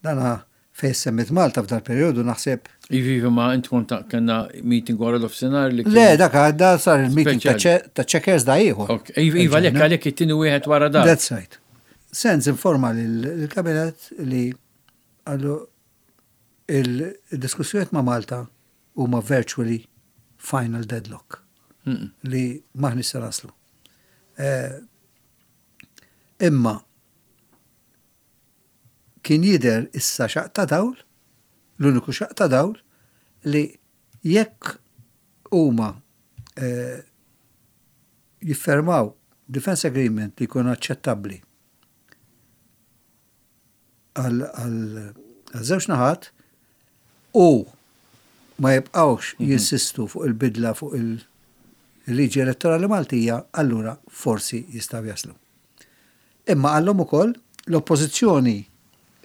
[SPEAKER 2] Dana fejn semmit Malta f'dal periodu naħseb.
[SPEAKER 1] Iva, ma int kont kellna meeting wara l-offsenar li.
[SPEAKER 2] Le, dak għadda sar il-meeting ta' Chequers da ieħor.
[SPEAKER 1] Iva, lek għalek it-tieni wieħed wara da.
[SPEAKER 2] That's right. Sands informa l-kabinet li għallu il-diskussjoniet ma' Malta huma virtually final deadlock li m'aħniex se naslu. Eh, imma kien jidher issa xaqq ta' dawl, l-uniku xaqq ta' dawl, li jekk huma eh, jiffermaw defense agreement li jkun aċċettabbli għal żewġ naħat u ma jibqawx mhm. jinsistu fuq il-bidla fuq il-liġi elettorali Maltija, allura forsi jistaw jaslu. Imma għallhom ukoll l-oppożizzjoni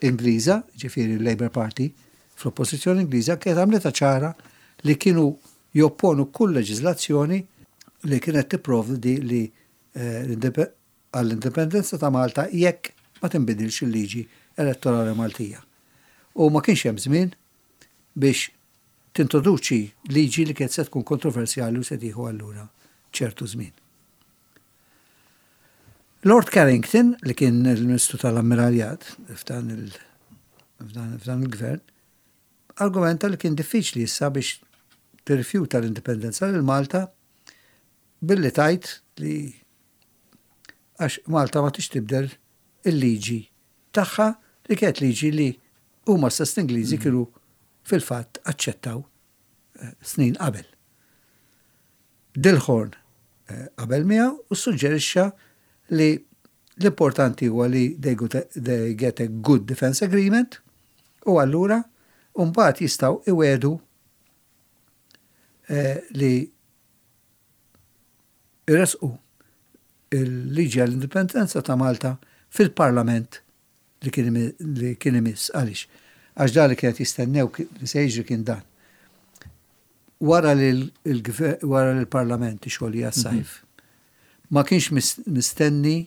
[SPEAKER 2] Ingliża, ġifieri l-Labour Party, fl-oppożizzjoni Ingliża kienet għamlitha ċara li kienu jopponu kull leġiżlazzjoni li kienet tipprovdi li eh, għall-indipendenza ta' Malta jekk ma tinbidilx il-liġi elettorali Maltija. U ma kienx hemm żmien biex tintroduċi liġi li kienet se tkun kontroversjali u se tieħu allura ċertu żmien. Lord Carrington, li kien il-Ministru tal-Ammiraljat f'dan il-gvern, argumenta li kien diffiċli issa biex tirrifjuta l-indipendenza lil Malta billi tajt li għax Malta ma tix tibdel il-liġi tagħha li kienet liġi li huma stess Ingliżi mm. kienu fil-fatt aċċettaw eh, snin qabel. Dilhorn eh, qabel miegħu u suġġerixxa li l-importanti huwa li they, they get a good defense agreement u allura mbagħad jistgħu iwedu eh, li irresqu il-liġi għall-indipendenza ta' Malta fil-parlament li kien imiss. Għaliex? Għax da li kienet jistennew li se jiġri kien dan. Wara li l-parlament ixolli għas-sajf, mhm. ma kienx mistenni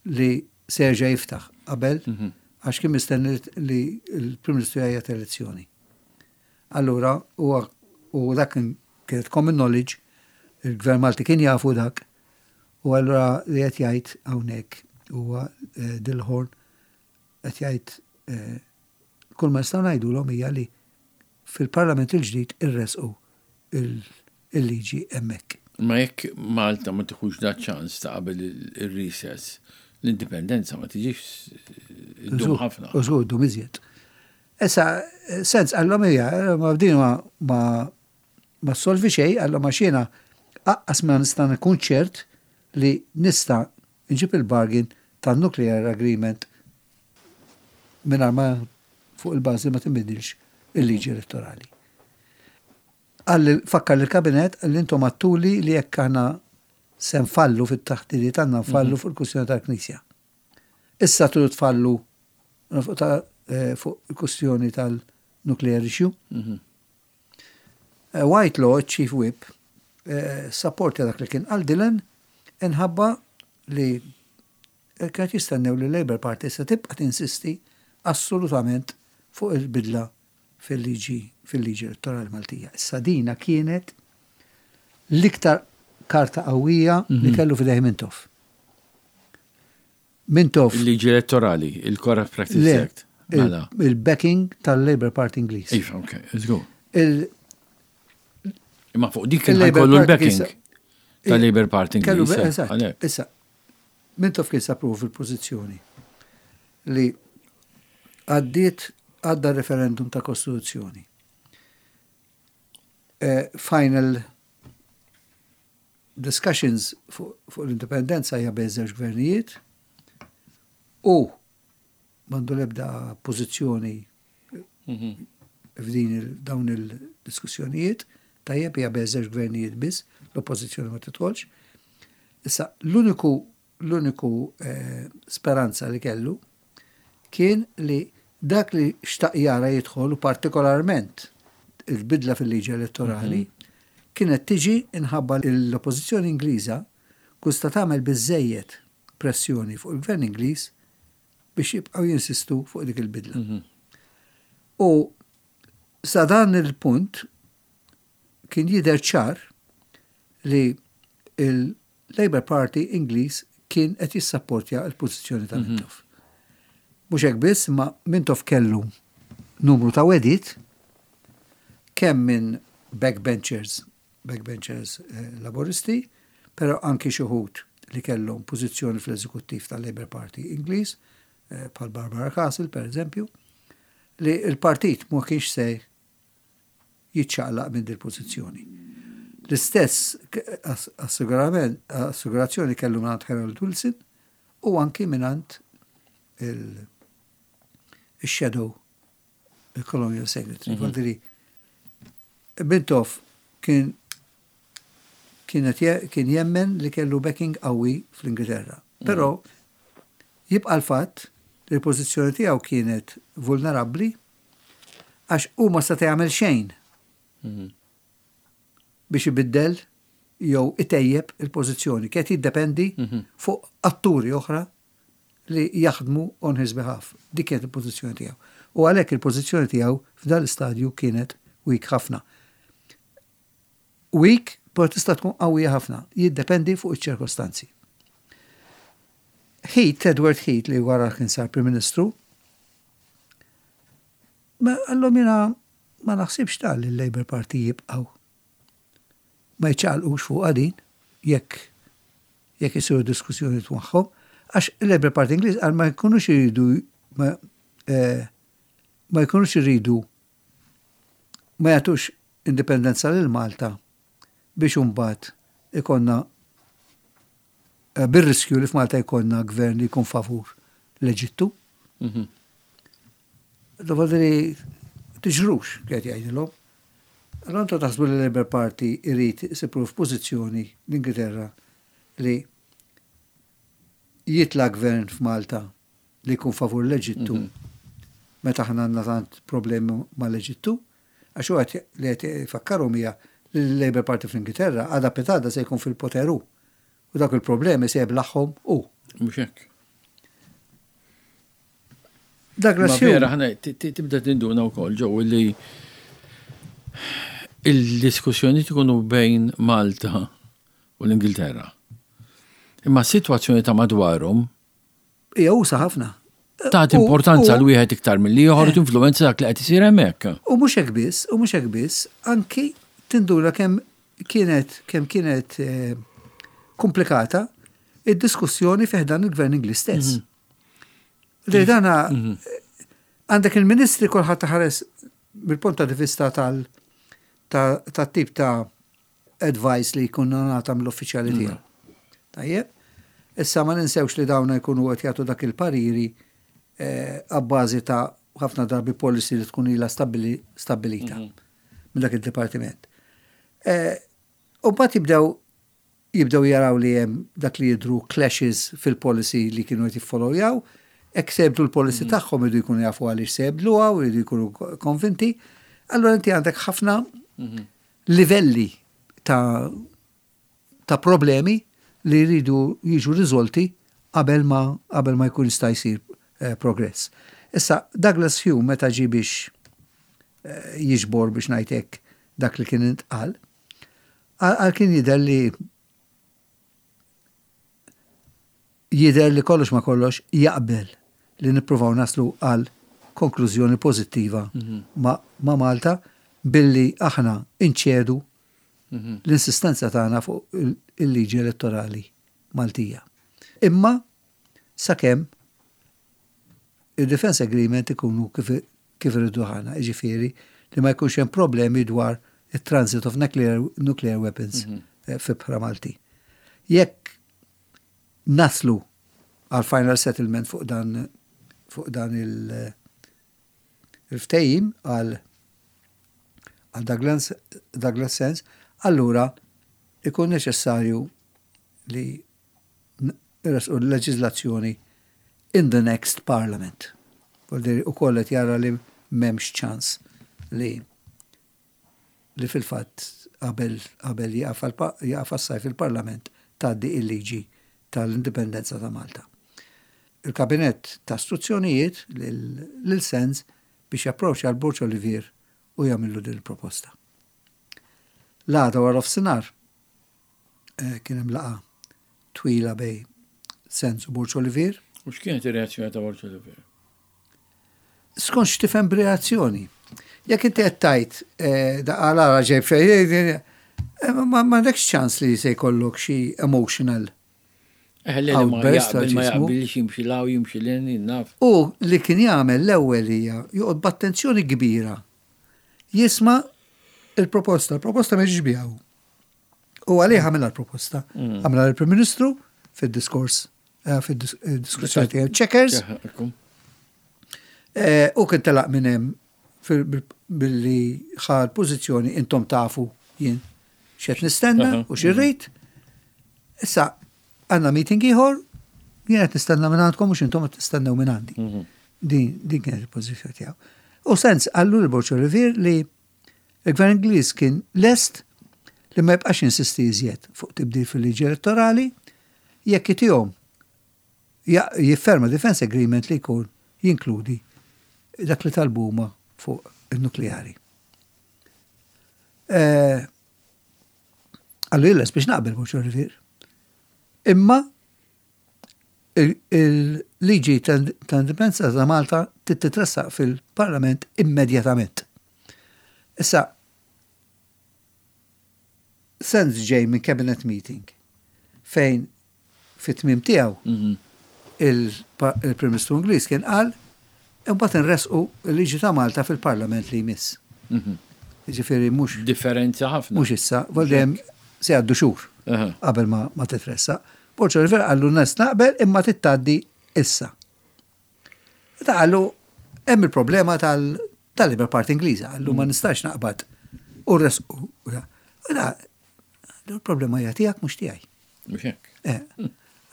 [SPEAKER 2] li se jerġa' jiftaħ qabel, mhm. għax kien mistenni li l-Prim Ministru jgħajjat elezzjoni. Allura, u dak kienet common knowledge, il-Gvern Malti kien jafu dak, u allura li qed jgħid hawnhekk huwa eh, Dilhorn qed jgħid eh, kull ma nistgħu ngħidulhom hija li fil-Parlament il-ġdid irresqu il-liġi hemmhekk.
[SPEAKER 1] Ma jekk Malta ma tieħux da ċans ta' qabel il-recess, l-indipendenza ma tiġix iddum ħafna.
[SPEAKER 2] U żgur iddum iżjed. Issa, Sands għallhom hija, ma din ma ma solvi xejn, għallhom għax jiena aqqas ma nista' nkun ċert li nista' nġib il-bargain tan-nuclear agreement mingħajr ma fuq il-bażi ma tinbidilx il-liġi elettorali. Għalli fakkar il-kabinet li intom għedtuli li jekk aħna se nfallu fit-taħdidiet għandna nfallu fuq il-kwistjoni tal-Knisja. Issa tridu tfallu fuq eh, fuq il-kwistjoni tal-nuclear issue. Mhm. Eh, Whitelaw, Chief Whip, eh, supporta dak li kien qal Dillon inħabba li kienet jistennew li Labour Party se tibqa' tinsisti assolutament fuq il-bidla fil-liġi fil-liġi elettorali Maltija. Issa dina kienet l-iktar karta qawwija li mhm. kellu f'idejh Mintoff. Mintoff.
[SPEAKER 1] Il-liġi elettorali, il-Corrupt Practice Act.
[SPEAKER 2] Mela. Il-backing tal-Labour Party Ingliż.
[SPEAKER 1] Iva, ok, let's go. Imma fuq dik kien kollu l-backing tal-Labour Party
[SPEAKER 2] Ingliż. Eh, issa, Mintoff kien sab ruħu fil-pożizzjoni li għaddiet għadda referendum ta' Kostituzzjoni. Eh, final discussions fuq l-indipendenza hija bejn żewġ gvernijiet u m'għandu l-ebda pożizzjoni mhm. f'din dawn il-diskussjonijiet, tajjeb hija bejn żewġ gvernijiet biss, l-oppożizzjoni ma tidħolx. Issa l-uniku l-uniku eh, speranza li kellu kien li dak li xtaq jara jidħol u partikolarment il-bidla fil-liġi elettorali mhm. kienet tiġi inħabba l-oppożizzjoni Ingliża kusta tagħmel biżejjed pressjoni fuq il-gvern Ingliż biex jibqgħu jinsistu fuq dik il-bidla. Mhm. U Sa dan il-punt kien jidher ċar li il-Labour Party Ingliż kien qed jissapportja l-pożizzjoni ta' Mintoff. Mhux hekk biss, ma Mintoff kellu numru ta' wegħdiet kemm minn backbenchers, backbenchers eh, laboristi, però anki xi wħud li kellhom pożizzjoni fl-eżekuttiv tal-Labour Party Ingliż, eh, bħal Barbara Castle, per eżempju, li il-partit ma kienx se jiċċaqlaq minn dil pożizzjoni. L-istess assigurazzjoni kellu minn Harold Wilson u anki minn il-Shadow il-Colonial Secretary. Mm -hmm. Mintoff kien kienet kien jemmen li kellu backing qawwi fl-Ingilterra. Mhm. Però jibqa' l-fatt li l-pożizzjoni tiegħu kienet vulnerabbli għax hu ma seta' jagħmel xejn mhm. biex ibiddel jew itejjeb il-pożizzjoni. Kien jiddependi mhm. fuq atturi oħra li jaħdmu on his behalf. Dik kienet il-pożizzjoni tiegħu. U għalhekk il-pożizzjoni tiegħu f'dan l-istadju kienet weak ħafna. Weak, però tista' tkun qawwija ħafna, jiddependi fuq iċ-ċirkostanzi. Heath, Edward Heath, li wara kien sar Prim Ministru, ma qallhom, "Jiena ma naħsibx tal li l-Labour Party jibqgħu ma jċaqalqux fuq din jekk jekk isiru diskussjoni magħhom, għax il-Labour Party Ingliż għal ma jkunux iridu ma, eh, ma jkunux iridu ma jagħtux indipendenza lil Malta biex imbagħad ikollna eh, bir-riskju li f'Malta jkollna gvern li jkun favur l-Eġittu." Mm -hmm. Tiġrux, qed jgħidilhom. Allora intom taħsbu li l-Labour Party irid isib f'pożizzjoni l-Ingilterra li jitla gvern f'Malta li jkun favur l-Eġittu mm -hmm. meta aħna għandna tant problemi mal-Eġittu, għax huwa li qed ifakkarhom hija li l-Labour Party fl-Ingilterra għada pitgħada se jkun fil-poter u dak il-problemi se jiblaħħom u.
[SPEAKER 1] Mhux hekk.
[SPEAKER 2] Douglas
[SPEAKER 1] Ma vera, ħana tibda tinduna wkoll ġew li il-diskussjoni tkunu bejn Malta u l-Ingilterra. Imma s-sitwazzjoni ta' madwarhom
[SPEAKER 2] Hija usa' ħafna.
[SPEAKER 1] Tagħti importanza l wieħed iktar mill-ieħor u tinfluwenza dak li qed isir hemmhekk.
[SPEAKER 2] U mhux hekk biss, u mhux hekk biss, anki tinduna kemm kienet kemm kienet eh, komplikata id-diskussjoni fi ħdan il-gvern Ingliż stess. Mhm. Li dana mhm. għandek il-ministri, kulħadd ħares mill-punt ta' vista tal tip ta' advice li jkun ngħata mill-uffiċjali mhm. tiegħu. Tajjeb, issa ma ninsewx li dawna jkunu qed jagħtu dak il-pariri eh, abbażi ta' ħafna drabi policy li tkun ilha stabilita mhm. minn dak il-dipartiment. Eh, u mbagħad jibdew jibdew jaraw li hemm dak li jidru clashes fil-policy li kienu qed jiffollowjaw, hekk se jibdlu l-policy mhm. tagħhom idu jkunu jafu għaliex se jibdluha u jridu jkunu konvinti. Allora inti għandek ħafna mhm. livelli ta' ta' problemi li jridu jiġu riżolti qabel ma qabel ma jkun jista' jsir eh, progress. Issa Douglas Home, meta ġi biex eh, jiġbor, biex ngħidlek, dak li kien intqal, għal kien jidher li jidher li kollox ma kollox jaqbel li nippruvaw naslu għal konklużjoni pożittiva mhm. ma, ma Malta billi aħna inċedu mhm. l-insistenza tagħna fuq il-liġi elettorali Maltija. Imma sakemm il-Defense Agreement ikunu kif, kif irridu aħna, jiġifieri li ma jkunx hemm problemi dwar il-transit of nuclear, nuclear weapons mm -hmm. fl-ibħra Malti. Jekk naslu għal final settlement fuq dan fuq dan il- il-ftehim għal għal Douglas, Douglas Sands, allura ikun neċessarju li nressqu l-leġizlazzjoni in the next parliament. U kollet jara li m'hemmx ċans li li fil-fatt qabel qabel jaqaf sajf il-parlament tgħaddi il-liġi tal-indipendenza ta' Malta. Il-kabinet ta istruzzjonijiet lil Sands biex japproċċja l-Borg Olivier u jagħmillu din il-proposta. L-għada wara nofsinhar eh, kien hemm laqgħa twila bejn Sands u Borg Olivier.
[SPEAKER 1] U x'kienet ir-reazzjoni ta' Borg Olivier?
[SPEAKER 2] Skont x'tifhem b'reazzjoni. Jekk inti qed tgħid eh, da għala ġej fejn, eh, ma m'għandekx ċans li se jkollok xi emotional
[SPEAKER 1] Eh, li ma
[SPEAKER 2] outburst,
[SPEAKER 1] jaqbel ma
[SPEAKER 2] ġismu.
[SPEAKER 1] jaqbilx jimxi 'l hawn jimxi 'l hemm, naf.
[SPEAKER 2] U li kien jagħmel l-ewwel hija joqgħod b'attenzjoni kbira. Jisma' il-proposta, il-proposta ma ġiex biha hu. U għalih għamilha l-proposta. Għamilha l-Prim Ministru fid-diskors, eh, fid-diskussjoni tiegħu Chequers, eh, u kien telaq minn hemm fil- billi ħa l-pożizzjoni intom tafu jien x'qed nistenna
[SPEAKER 1] Aha,
[SPEAKER 2] u x'irrid. Issa għandna meeting ieħor, jien qed nistenna minn għandkom mhux intom qed tistennew minn għandi. Din din kienet il-pożizzjoni tiegħu. U Sands qallu lil Borg Olivier li il-Gvern Ingliż kien lest li ma jibqax insisti iżjed fuq tibdil fil-liġi elettorali jekk itihom ja- jifferma defense agreement li jkun jinkludi dak li talbuma fuq il-nukleari. Eh, Qallu jien lest biex naqbel Borg Olivier. Imma il- il-liġi ta' indipendenza ta' Malta titressaq fil-Parlament immedjatament. Issa, Sands ġej minn cabinet meeting fejn fit-tmim tiegħu il-Prim Ministru Ingliż kien qal imbagħad inresqu l-liġi ta' Malta fil-Parlament li jmiss. Ġifieri mhux
[SPEAKER 1] Differenza ħafna.
[SPEAKER 2] mhux issa, voldem se jgħaddu xhur
[SPEAKER 1] Aha.
[SPEAKER 2] qabel ma, ma titressaq. Borg Olivier qallu lest naqbel imma trid tgħaddi issa. Ta' qallu hemm il-problema tal- tal-Labour Party Ingliża, qallu ma nistax naqbad u resqu. U da, il-problema hija tiegħek mhux tiegħi.
[SPEAKER 1] Mhux hekk.
[SPEAKER 2] Eh,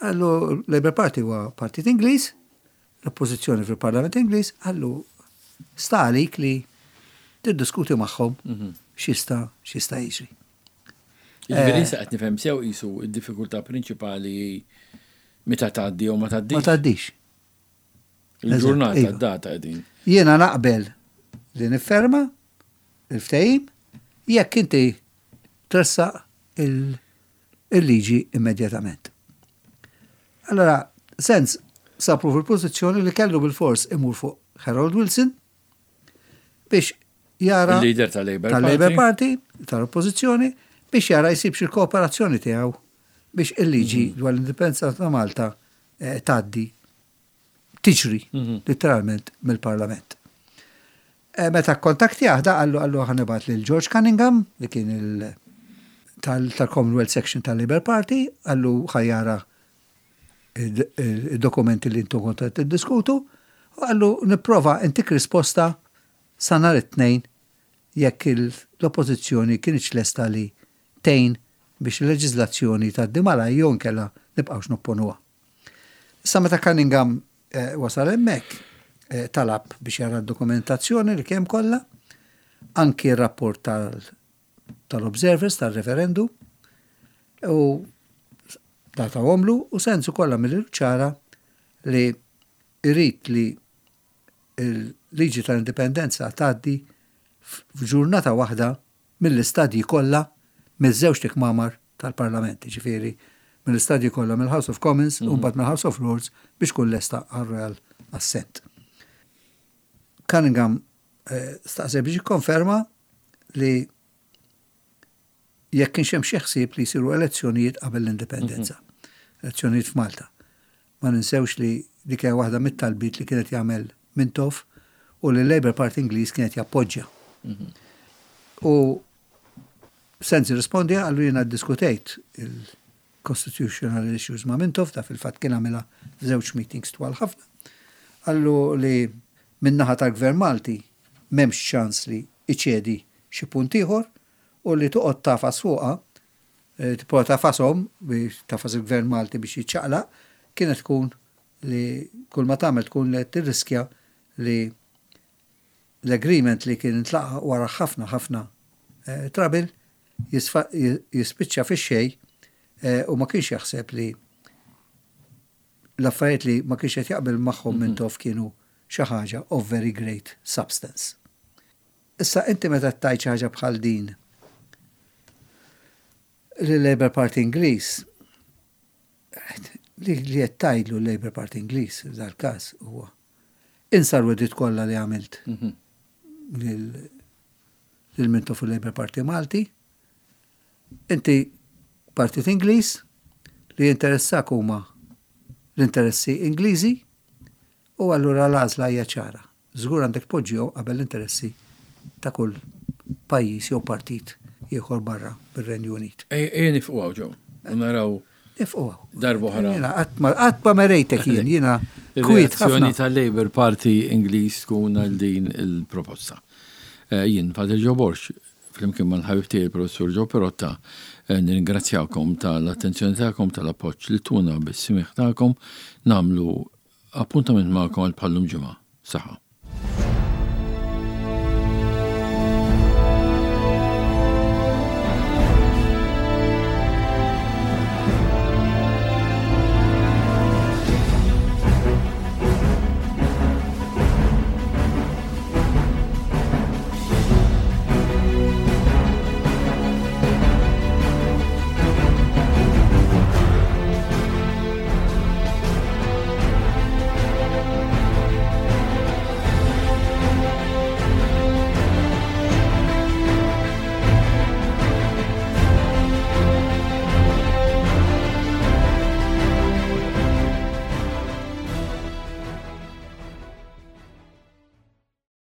[SPEAKER 2] Qallu Labour Party huwa partit Ingliż, l-oppożizzjoni fil-Parlament Ingliż, qallu sta għalik li tiddiskuti magħhom x'jista' x'jista' jiġri.
[SPEAKER 1] Ġifieri sa qed nifhem sew qisu id-diffikultà prinċipali meta tgħaddi jew ma
[SPEAKER 2] Ma
[SPEAKER 1] tgħaddix.
[SPEAKER 2] tgħaddix.
[SPEAKER 1] Il-ġurnata,
[SPEAKER 2] Eżatt, iva.
[SPEAKER 1] d-data qegħdin.
[SPEAKER 2] Jiena naqbel li nifferma il-ftehim jekk inti tressaq il- il-liġi immedjatament. Allora, Sands sabu fil-pożizzjoni li kellu bil-fors imur fuq Harold Wilson biex jara
[SPEAKER 1] Il-leader tal-Labour
[SPEAKER 2] tal-Labour
[SPEAKER 1] Party.
[SPEAKER 2] Party, tal-oppożizzjoni, biex jara jsib xi kooperazzjoni tiegħu biex il-liġi dwar l-indipendenza ta' Malta eh, tgħaddi tiġri letteralment mill-Parlament. Eh, Meta kontaktjah da qallu qallu ħa nibgħat lil George Cunningham li kien il tal- tal-Commonwealth Section tal-Labour Party, qallu ħa jara il-dokumenti li intom kontu qed tiddiskutu, u qallu nipprova ntik risposta sa nhar it-tnejn jekk il- l-oppożizzjoni kienx lesta li tgħin biex il-leġiżlazzjoni tgħaddi malajr jew inkella nibqgħux nopponuha. Issa meta Cunningham eh, wasal hemmhekk eh, talab biex jara d-dokumentazzjoni li kemm kollha, anki r-rapport tal- tal-observers tal-referendum u tawhomlu u Sands ukoll għamilhielu ċara li jrid li il-liġi tal-indipendenza tgħaddi f'ġurnata waħda mill-istadji kollha miż-żewġ kmamar tal-Parlament, ġifieri mill-istadji kollha mill-House of Commons u mbagħad mill-House of Lords biex tkun lesta għal Royal Assent. Cunningham eh, staqsa biex jikkonferma li jekk kienx hemm xi ħsieb li jsiru elezzjonijiet qabel l-indipendenza. Elezzjonijiet f'Malta. Ma ninsewx li dik hija waħda mit-talbiet li kienet jagħmel Mintoff u li l-Labour Party Ingliż kienet jappoġġja. U Sands irrisponda qallu jiena ddiskutejt il-constitutional issues ma' Mintoff, da fil-fatt kien għamilha f'żewġ meetings twal ħafna. Qallu li min-naħa tal-Gvern Malti m'hemmx ċans li iċedi xi punt ieħor u li toqgħod tagħfas fuqha, eh, tipprova tagħfashom biex tagħfas il-Gvern Malti biex jiċċaqlaq, kienet tkun li kull ma tagħmel tkun li tirriskja li l-agreement li kien intlaqa wara ħafna ħafna eh, trouble jisfa- jispiċċa fix-xejn eh, u ma kienx jaħseb li l-affarijiet li ma kienx qed jaqbel magħhom Mintoff kienu xi ħaġa of very great substance. Issa inti meta tgħid xi ħaġa bħal din li Labour Party Ingliż li li qed tgħidlu l-Labour Party Ingliż f'dal-każ huwa insa l-wegħdiet kollha li għamilt
[SPEAKER 1] Mhm.
[SPEAKER 2] lil lil Mintoff il-Labour Party Malti. Inti partit Ingliż li jinteressak huma l-interessi Ingliżi u allura l-għażla hija ċara. Żgur għandek poġġihom qabel l-interessi ta' kull pajjiż jew partit ieħor barra bir-Renju Unit.
[SPEAKER 1] Ejja nieqfu hawn, Joe. U naraw
[SPEAKER 2] Nieqfu hawn.
[SPEAKER 1] Darba oħra.
[SPEAKER 2] Jiena qatt ma qatt ma merejtek jien, jiena kwiet
[SPEAKER 1] Ir-reazzjoni
[SPEAKER 2] ħafna.
[SPEAKER 1] tal-Labour Party Ingliż tkun għal din il-proposta. Eh, Jien, Father Joe Borg, flimkien mal-ħabib tiegħi il-Professur Joe Perotta, eh, nirringrazzjawkom tal-attenzjoni tagħkom, tal-appoġġ li tuna bis-smigħ tagħkom, nagħmlu appuntament magħkom għal bħal-lum ġimgħa. Saħħa.